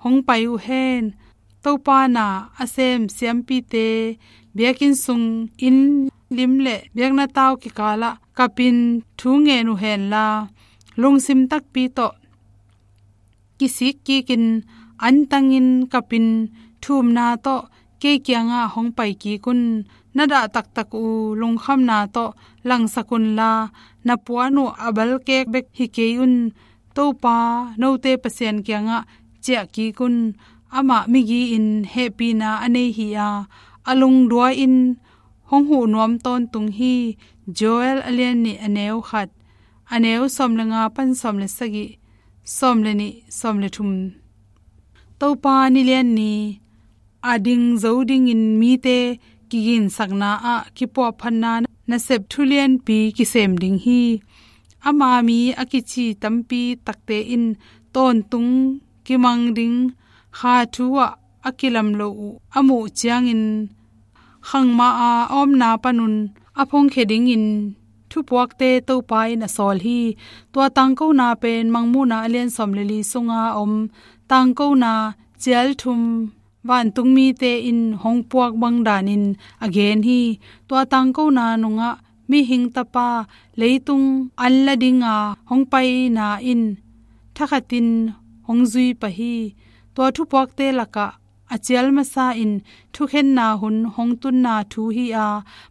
hong pai uh hen. Topa na a sem siampite biakinn sung, inn lim le biakna tau kikalah kapin thu ngen uh henla, lungsim takpi tawh kisik kikin, antangin kapin thumna tawh kei kiangah hong pai kik un. Na dah taktak uh lungkhamna tawh langsak unla, na puan uh a balkek bek hi kei un. Topa, note Pasian kiangah ciah kik un. Amah migi-in hehpihna a nei hi a, a lungduai-in hong huh nuam tawntung hi. Joel a lian nih a neu khat, a neu sawm le nga pan sawm le sagih, sawm le nih, sawm le thum. Topa nilian ni a ding zo dingin mite kiginsakna ah kipuahphatna nasep thulianpi kisem ding hi. Ama mi a kici tampi takte in tawntung kimang ding kha thu ah a kilam lo uh a muh ciangin, khangmah a a omna panun a phongkhia dingin thupuakte Topa in a sawl hi. Tua tangkona pen Mangmuhna a lian sawm le li sunga a om tangkona cial thum vantung mite in hong puak bang danin a gen hi. Tua tangkona nungah Mihing Tapa leitung an la dinga hong paina in thakhatin hong zui pah hi. Tua thupuakte lakah a cial masa in thukhenna hun hong tunna thu hi a,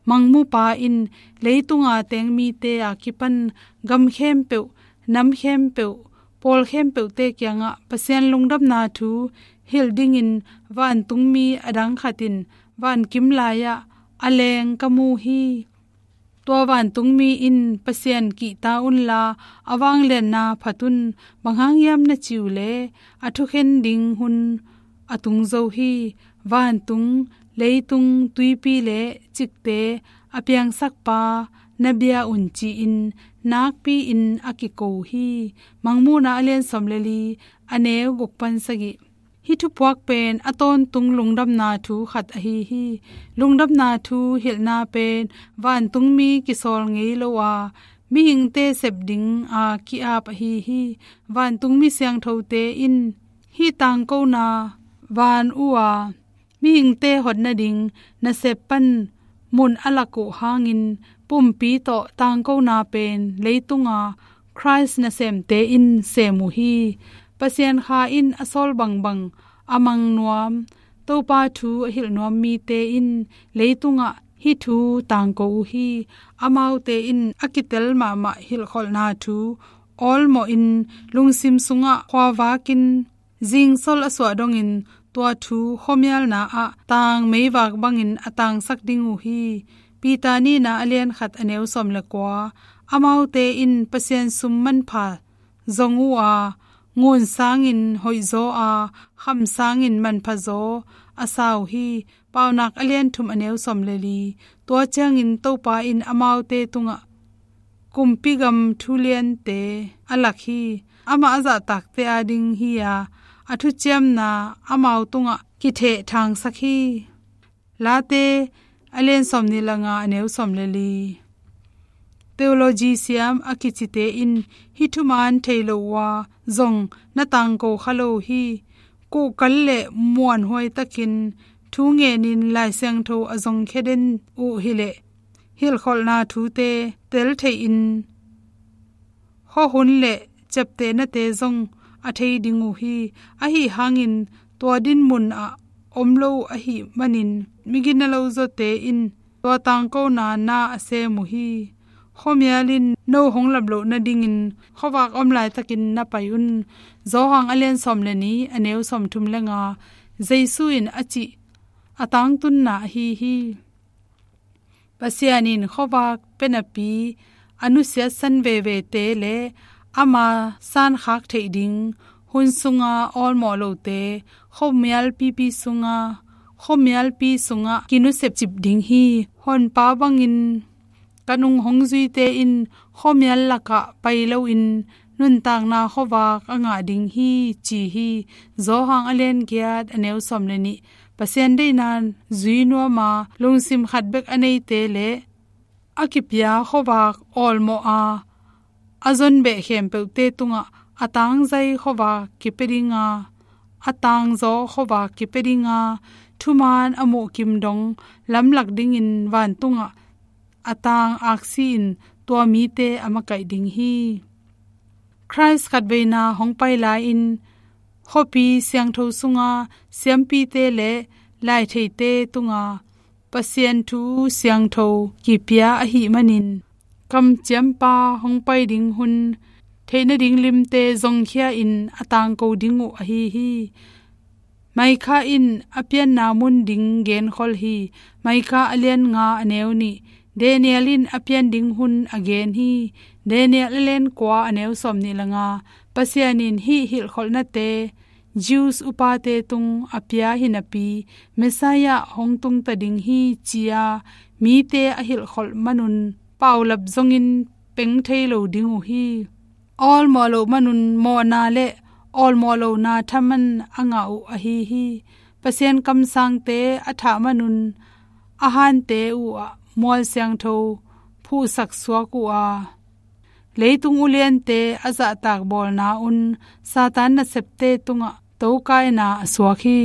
Mangmupa in leitunga teng mite a kipan gam khempeuh, nam khempeuh, pawl khempeuhte kiangah Pasian lungdamna thu hilh dingin vantungmi a dang khat in vankim lai-ah a leng ka mu hi. Tua vantungmi in Pasian kihta unla, a vangliatna phat un. Bang hang hiam na cih uh leh, a thukhen ding hun a tung zo hi. Vantung, leitung, tuipi le cikte a piangsakpa, na bia un ci-in nakpi-in a kiko hi. Mangmuhna a lian sawm le li, a neu guk pan sagih. Hih thupuak pen a tawntung lungdamna thu khat ahi hi. Lungdamna thu hilhna pen vantungmi kisawl ngei lo a, mihingte sep ding a ki-ap ahi hi. Vantungmi siangthote in hih tangkona van uh a mihingte hot nading nasep pan mun a lak uh hangin pumpi tawh tangkona pen leitunga Khrist nasemte in sem uh hi. Pasian Kha in a sawl bangbang a mang nuam Topa thu a hilh nuam mite in leitungah hih thu tangko uh hi. Amaute in a kitel mahmah hilhkholhna thu awlmawhin lungsim sungah khuavakin zingsol a suah dongin tua thu khuamialna ah tang meivak bangin a tangsak ding uh hi. Peter nihna a lian khat a neu sawm le kua. Amaute in Pasian sum manpha zong uh a, ngun sangin hoihzaw a, kham sangin manphazaw a sa uh hi. Paunak a lian thum a neu sawm le li. Tua ciangin Topa in amaute tungah kumpi gam thuliante a lak hi. Amah a zahtakte ading hi a, a thuciamna amau tungah kithehthangsak hi. Late a lian sawm nih le nga a neu sawm le li. Theology siam a kicite in hih thuman thei lo uh a zong na tangko kha lo hi. Kuhkal le muanhuai takin thu ngenin Lai Siangtho a zongkhia den uh hileh hilhkholhna thute tel theihin khuahun le ciaptehnate zong a thei ding uh hi. Ahi hangin tua dinmun ah om lo ahih manin migina lo zawte in tua tangkona na a sem uh hi. Khuamial in no hong lap loh nadingin khuavak om laitakin na pai un. Johan a lian sawm le nih a neu sawm thum le nga. Jesu in a cih a tangtunna ahi hi. Pasian in khuavak pia napi a nusiatsan vevete le ama sankhak theih ding hun sunga awlmawh lote khuamialpipi sunga, khuamialpi sungah kinusep cip ding hi. Honpa bangin ka nung hong zuite in khuamial lakah pai loin nuntakna khuavak a ngah ding hi, ci hi. Johan a lian giat a neu sawm le nih. Pasian deihna zui nuama lungsim khat bek a neite le a kipia khuavak awlmawh a, a zon beh khempeuhte tungah a tangzai khuavak kipia dinga, a tangzaw khuavak kipia dinga, thuman a muhkim dong lamlak dingin vantungah a tang aksi in tua mite a makaih ding hi. Khrist khatveina hong pai lai-in khuapi siangtho sunga siampite le laitheite tunga Pasian thu siangtho kipia ahih manin kamciampa hong pai ding hun theih nading limte zongkhia in a tangko ding uh ahi hi. Maikha in a pianna mun ding genkhol hi. Maikha a lian nga a neu nih. Daniel in a pian ding hun a gen hi. Daniel a lian kua a neu sawm nih le nga. Pasian in hih hilhkholhnate Jews upate tung a pia hi napi, Messiah hong tungta ding hi, ci-a mite a hilhkholh manun paulap zongin peng thei lo ding uh hi. Awlmawh loh manun mawhna le awlmawh lohna thaman a ngah uh ahi hi. Pasian kamsangte a thah manun a hante uh ah mual siangtho phuhsak suak uh a, leitung uliante a zahtak bawlna un Satan nasepte tungah tokaina a suak hi.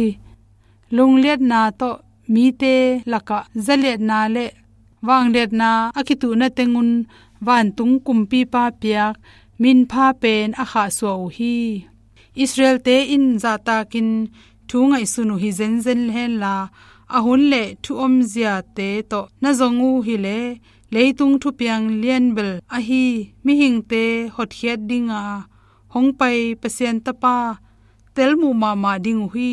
Lungliatna tawh mite lakah zaliatna le vangliatna a kituhna tengun vantung kumpipa piak minpha pen a khahsuah uh hi. Israelte in zahtakin thu ngaihsun uh hi zenzen henla, a hun le thu omziate tawh na zong uh hileh leitung thupiang lianbel ahi mihingte hotkhiat dinga hong pai Pasian Tapa telmuh mahmah ding uh hi.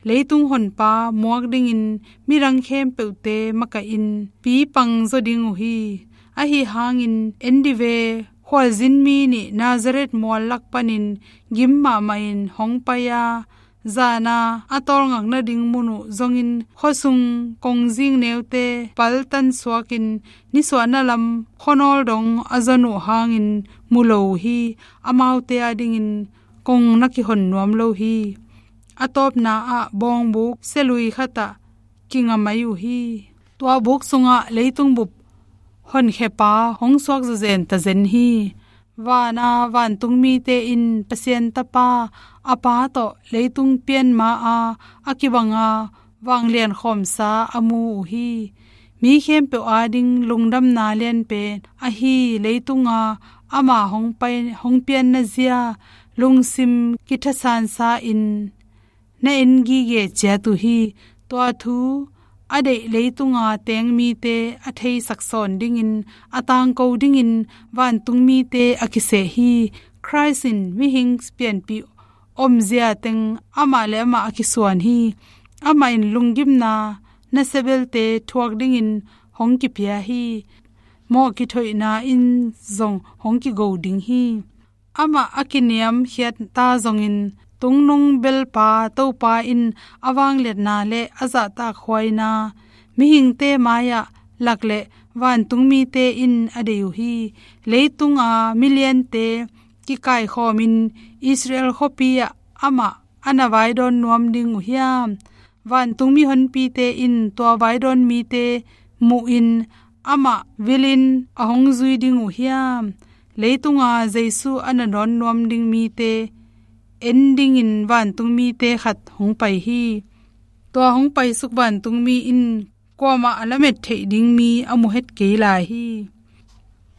Leitung honpa muak dingin midang khempeuhte makaihin pipang zaw ding uh hi. Ahi hangin en dive, khualzin mi nih Nazareth mual lak panin gim mahmahin hong pai a, zana a tawlngak nading mun uh zongin khuasung kongzing neute paltan suakin nisuahna lam khuanawl dong a zon uh hangin mu lo uh hi. Amaute adingin kong na kihon nuam lo hi. A tawpna ah bawngbuk sialui khatah kinga mai uh hi. Tua buk sungah leitung bup honkhiapa hong suak zawzen tazen hi. Vana vantungmite in Pasian Tapa a Pa tawh leitung pian ma-a a kibanga vanglian khawmsa a mu uh hi. Mi khempeuh ading lungdamna lianpen ahi leitunga ama hong pai, hong pianna zia lungsim kithasansa in na en gige ciat uh hi. Tua thu a deih leitunga teng mite a theisak sawn dingin, a tangko dingin vantungmite a kiseh hi. Christ in mihing pianpih omzia teng amah le amah a kisuan hi. Amah in lunggimna nasia belte thuak dingin hong kipia hi. Mawh kithoihna in zong hong kigo ding hi. Amah a kiniamkhiat ta zongin, tungnung belpa Topa in a vangliatna le a zahtakhuaina mihingte mai-ah lak le vantungmite in a deih uh hi. Leitunga miliante kikaikhawmin Israel khuapi-ah amah a na vaidawn nuam ding uh hiam? Vantungmi honpite in tua vaidawn mite muhin amah vilin a hong zui ding uh hiam? Leitunga Jesu a na dawn nuam ding mite en dingin vantungmite khat hong pai hi. Tua hong paisuk vantungmi in kuamah a lamet theih ding mi a mu het kei lai hi.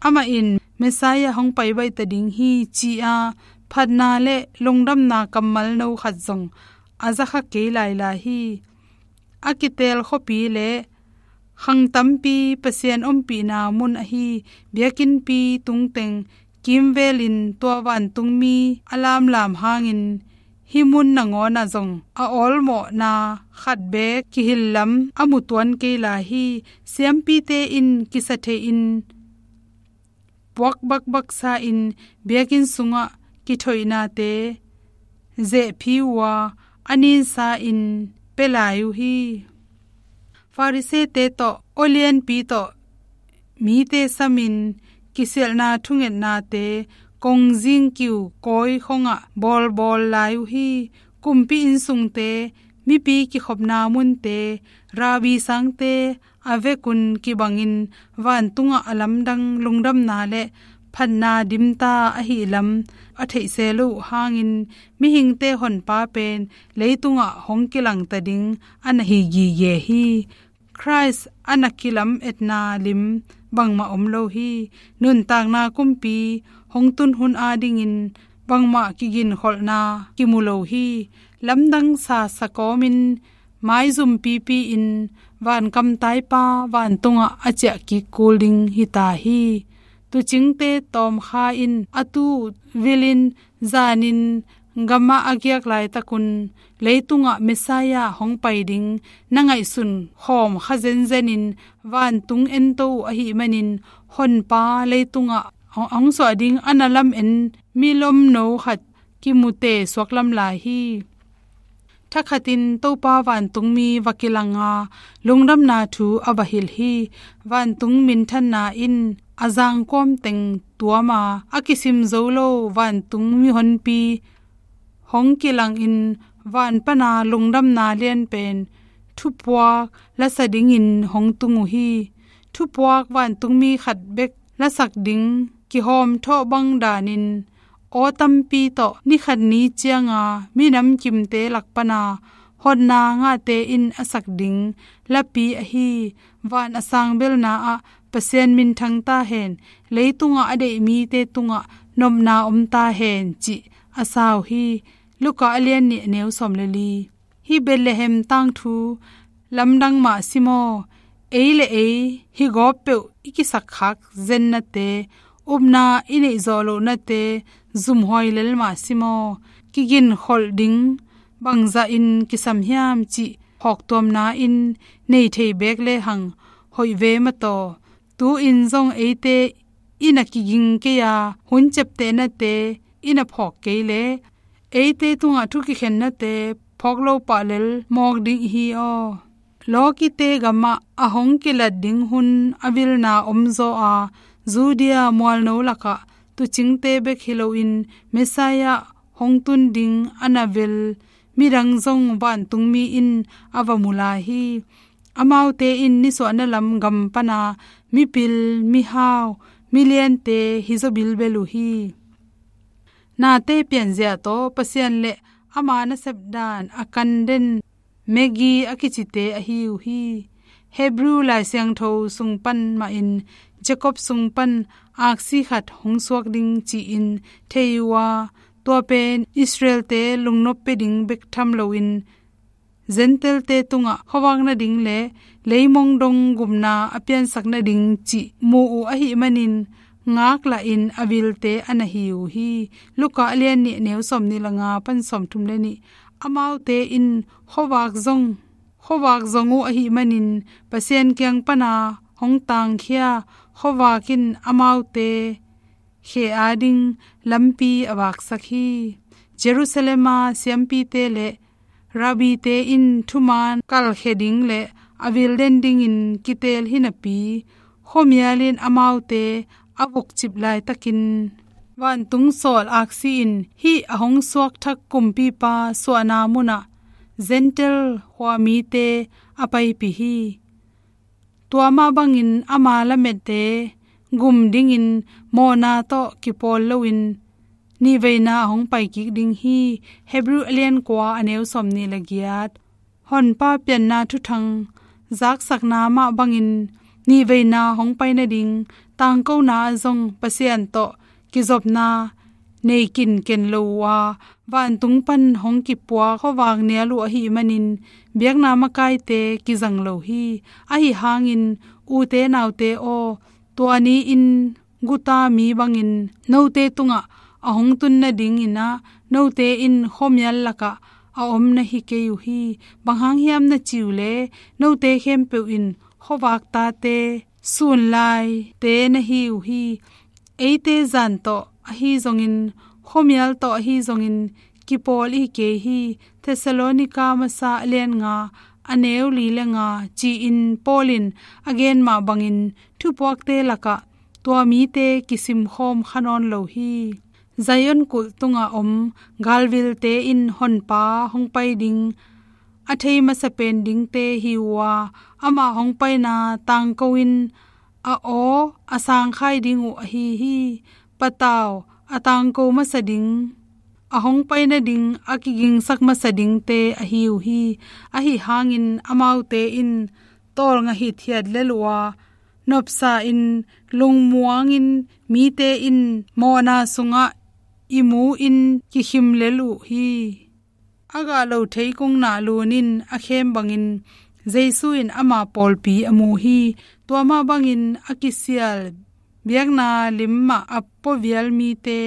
Amah in Messiah hong pai baih ta ding hi ci-a phatna le lungdamna kammal no khat zong a zakha kei lailai hi. A kiteel khuapi le khang tampi Pasian ompihna mun ahi biakinnpi tungteng kimvelin tua vantungmi a lamlam hangin hih mun nangawnah zong a awlmawhna khat beek kihilh lam a mu tuan kei lai hi. Siampite in kisa theihin puak bakbaksa in biakinn sungah kithoihnate zehphi uh a, a ninsa in pia lai uh hi. Farisee-te tawh, aw lianpi tawh mite samin kisialhna thungetnate kongzing kiu kawi khongah bawlbawl lai uh hi. Kumpi innsungte, mipi kikhopna munte, Rabbi sangte a vekun kibangin vantungah a lamdang lungdamna le phatna dimta ahih lam a theihse loh uh hangin mihingte Honpa pen leitungah hong kilangta ding a na hi gige hi. Christ a na kilametna lim bangmah om lo hi. Nuntakna kumpi hong tun hun adingin bangmah kiginkholhna kimu lo hi. Lamdang sasa kawmin maizum pipi-in vankam taipa vantungah a ciah kik kul ding hita hi. Tuucingte tawmkha in a tuu vilin zanin gamah a giak laitakun leitungah Messiah hong pai ding na ngaihsun khawm kha zenzenin vantung ento uh ahih manin Honpa leitungah hong, hong suah ding a na lamen milomno khat kimute suak lam lai hi. Thakhatin Topa vantungmi va kilanga lungdamna thu a va hilh hi. Vantung minthanna in a zangkuam teng tuama a kisim zo lo vantung mihonpi hong kilangin van pana lungdamna lianpen thupuak lasa dingin hong tung uh hi. Thupuak vantungmi khat bek lasak ding kihawmthawh bang danin aw tampi tawh ni khat ni cianga minam kimte lak pana hotna ngahte in a sak ding lapi ahi van a sangbelna ah Pasian minthang ta hen, leitungah a deih mite tungah nopna om ta hen cih a sa uh hi. Luka a lian nih a neu sawm le li. Hih Bethlehem tangthu lamdang mah si maw? Ei le ei hih gawp peuh i kisakkhak zennate, upna i neih zawh lohnate zumhuai lel mah si maw? Kiginkholh ding bangzahin kisam hiam cih hawktuamna in nei thei beek lehang hoih ve mataw. Tu-in zong eite i na kiging kei a, hun ciaptehnate i na phawk kei leh, eite tungah thu kikhennate phawk lo pah lel mawk ding hi aw. Lawkite gamah a hong kilat ding hun a vilna omzaw a, Judea mualno lakah tuucingte bek hi loin Messiah hong tun ding a na vel midang zong vantungmi in a va mu lai hi. Amaute in nisuahna lam gam pana mipil, mihau, miliante hi zaw bilbel uh hi. Nate pianzia tawh Pasian le ama nasep dan a kan den Magi a kicite ahi uh hi. Hebrew Lai Siangtho sung pan mahin Jacob sung pan aksi khat hong suak ding ci-in thei uh a, tua pen Israelte lungnop pia ding bek tham loin Gentile-te tungah khuavak nading le leimong dong gupna a piansak nading cih mu uh ahih manin ngaklah in a vilte a na hi uh hi. Luka a lian nih, neu sawmnih le nga pan sawmthum le nih. Amaute in khuavak zong, khuavak zong uh ahih manin Pasian kiang pana hong tangkhia khuavak in amaute khe ading lampi a vaksak hi. Jerusalem a siampite le rabbite in thuman kalkhia ding le a vil den dingin kiteel hi napi, khuamial in amaute a vukcip laitakin vantung sawl aksi in hih a hong suakthak kumpipa suahna munah Gentile khuamite a paipih hi. Tua mah bangin ama lamette gum dingin mawhna tawh kipawl loin nihveina a hong paikik ding hi. Hebrew a lian kua, a neu sawmnih le giat. Honpa pianna thuthang zaksakna mah bangin nihveina hong pai nading tangkona ah zong Pasian tawh kizopna nei kinken lo uh a, vantung pan hong kipuak khuavak nial uh ahih manin biakna makaite kizang lo hi. Ahi hangin ute naute aw, tua ni-in guta mi bangin note tungah a hong tun nadingin ah note in khuamial lakah a om na hi kei uh hi. Bang hang hiam na ci uh leh note khempeuh in khuavak tate, sunlaite na hi uh hi. Eite zan tawh ahi zongin, khuamial tawh ahi zongin kipawl i hi kei hi. Thessalonika masa a lian nga, a neu li le nga, ci-in Paul in a gen mah bangin thupuakte lakah tua mite kisimkhawm kha nawn lo hi. Zion kulh tungah om galvilte in Honpa hong pai ding a thei masa pen dingte hi uh a, ama hong paina tangko in a aw a sangkhai ding uh ahi hi. Patau a tangko masa ding, a hong pai nading a kigingsak masa dingte ahi uh hi. Ahi hangin amaute in tawlnga hithiat lel uh a, nopsa in lungmuangin mite in mawhna sungah i mu in kikhim lel uh hi. A gah lo thei kungna lunin a khem bangin Jesu in ama pawlpi a mu hi. Tua mah bangin a kisial biakna lim mah a puavial mite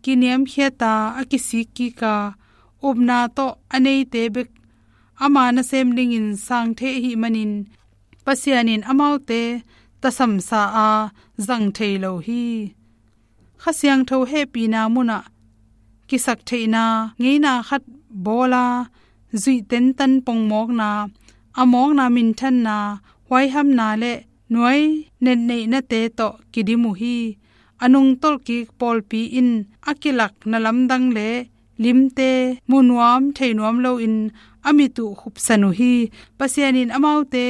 kiniamkhiat a, a kisik kik a, upna tawh a neite bek ama nasem dingin sang thei ahih manin Pasian in amaute tasamsa a zang thei lo hi. Kha Siangtho hehpihna munah kisaktheihna ngeina khat bawla zuih tentan pongmawkna, a mawkna minthanna, huaihamna le nuai netneihnate tawh kidim uh hi. A nungtolh kik pawlpi in a kilak na lamdang le limte mu nuam thei nuam loin a mit uh khupsan uh hi. Pasian in amaute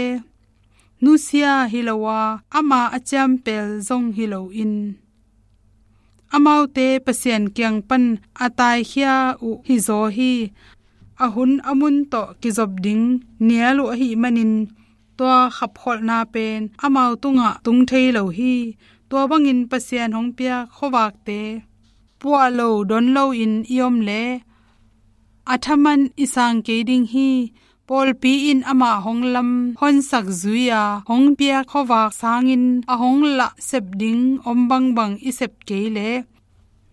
nusia hi lo a, ama a ciampel zong hi loin amaute Pasian kiang pan a taikhia uh hizaw hi. A hun a mun tawh kizop ding nial uh ahih manin tua khapkholhna pen amau tungah tung thei lo hi. Tua bangin Pasian hong piak khuavakte puah lo don loin i om leh a thaman i sang kei ding hi. Pawlpi in amah hong lam honsak zui a hong piak khuavak sangin a hong lah sep ding om bangbang i sep kei leh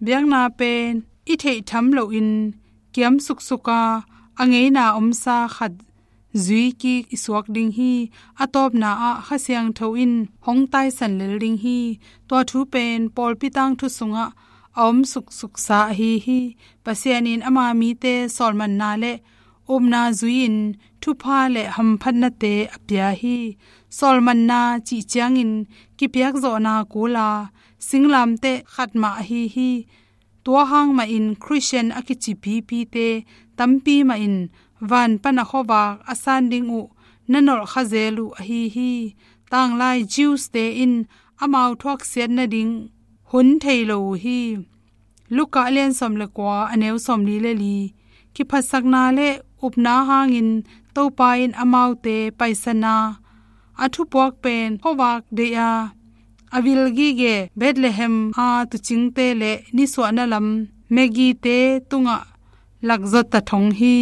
biakna pen i theih tham loin kiam suksuk a, a ngeina omsa khat zui kik i suak ding hi. A tawpna ah Kha Siangtho in hong taisan lel ding hi. Tua thu pen pawlpi tangthu sungah a om suksuksa ahi hi. Pasian in ama mite sawlmanna le upna zui-in thupha le hamphatnate a pia hi. Sawlmanna cih ciangin kipiakzawhna kula singlamteh khat mah ahi hi. Tua hang mahin Khristian a kici pipite tampi mahin van pana khuavak a san ding uh na nolh kha zel uh ahi hi. Tanglai Jews-te in amau thuaksiat nading hun thei lo uh hi. Luka a lian sawm le kua, a neu sawmli le li. Kiphatsakna le upna hangin Topa in amaute paisan a, a thupuak pen khuavak deih a, a vil gige Bethlehem a tuucingte le nisuahna lam Magi-te tungah lakzawt ta thong hi.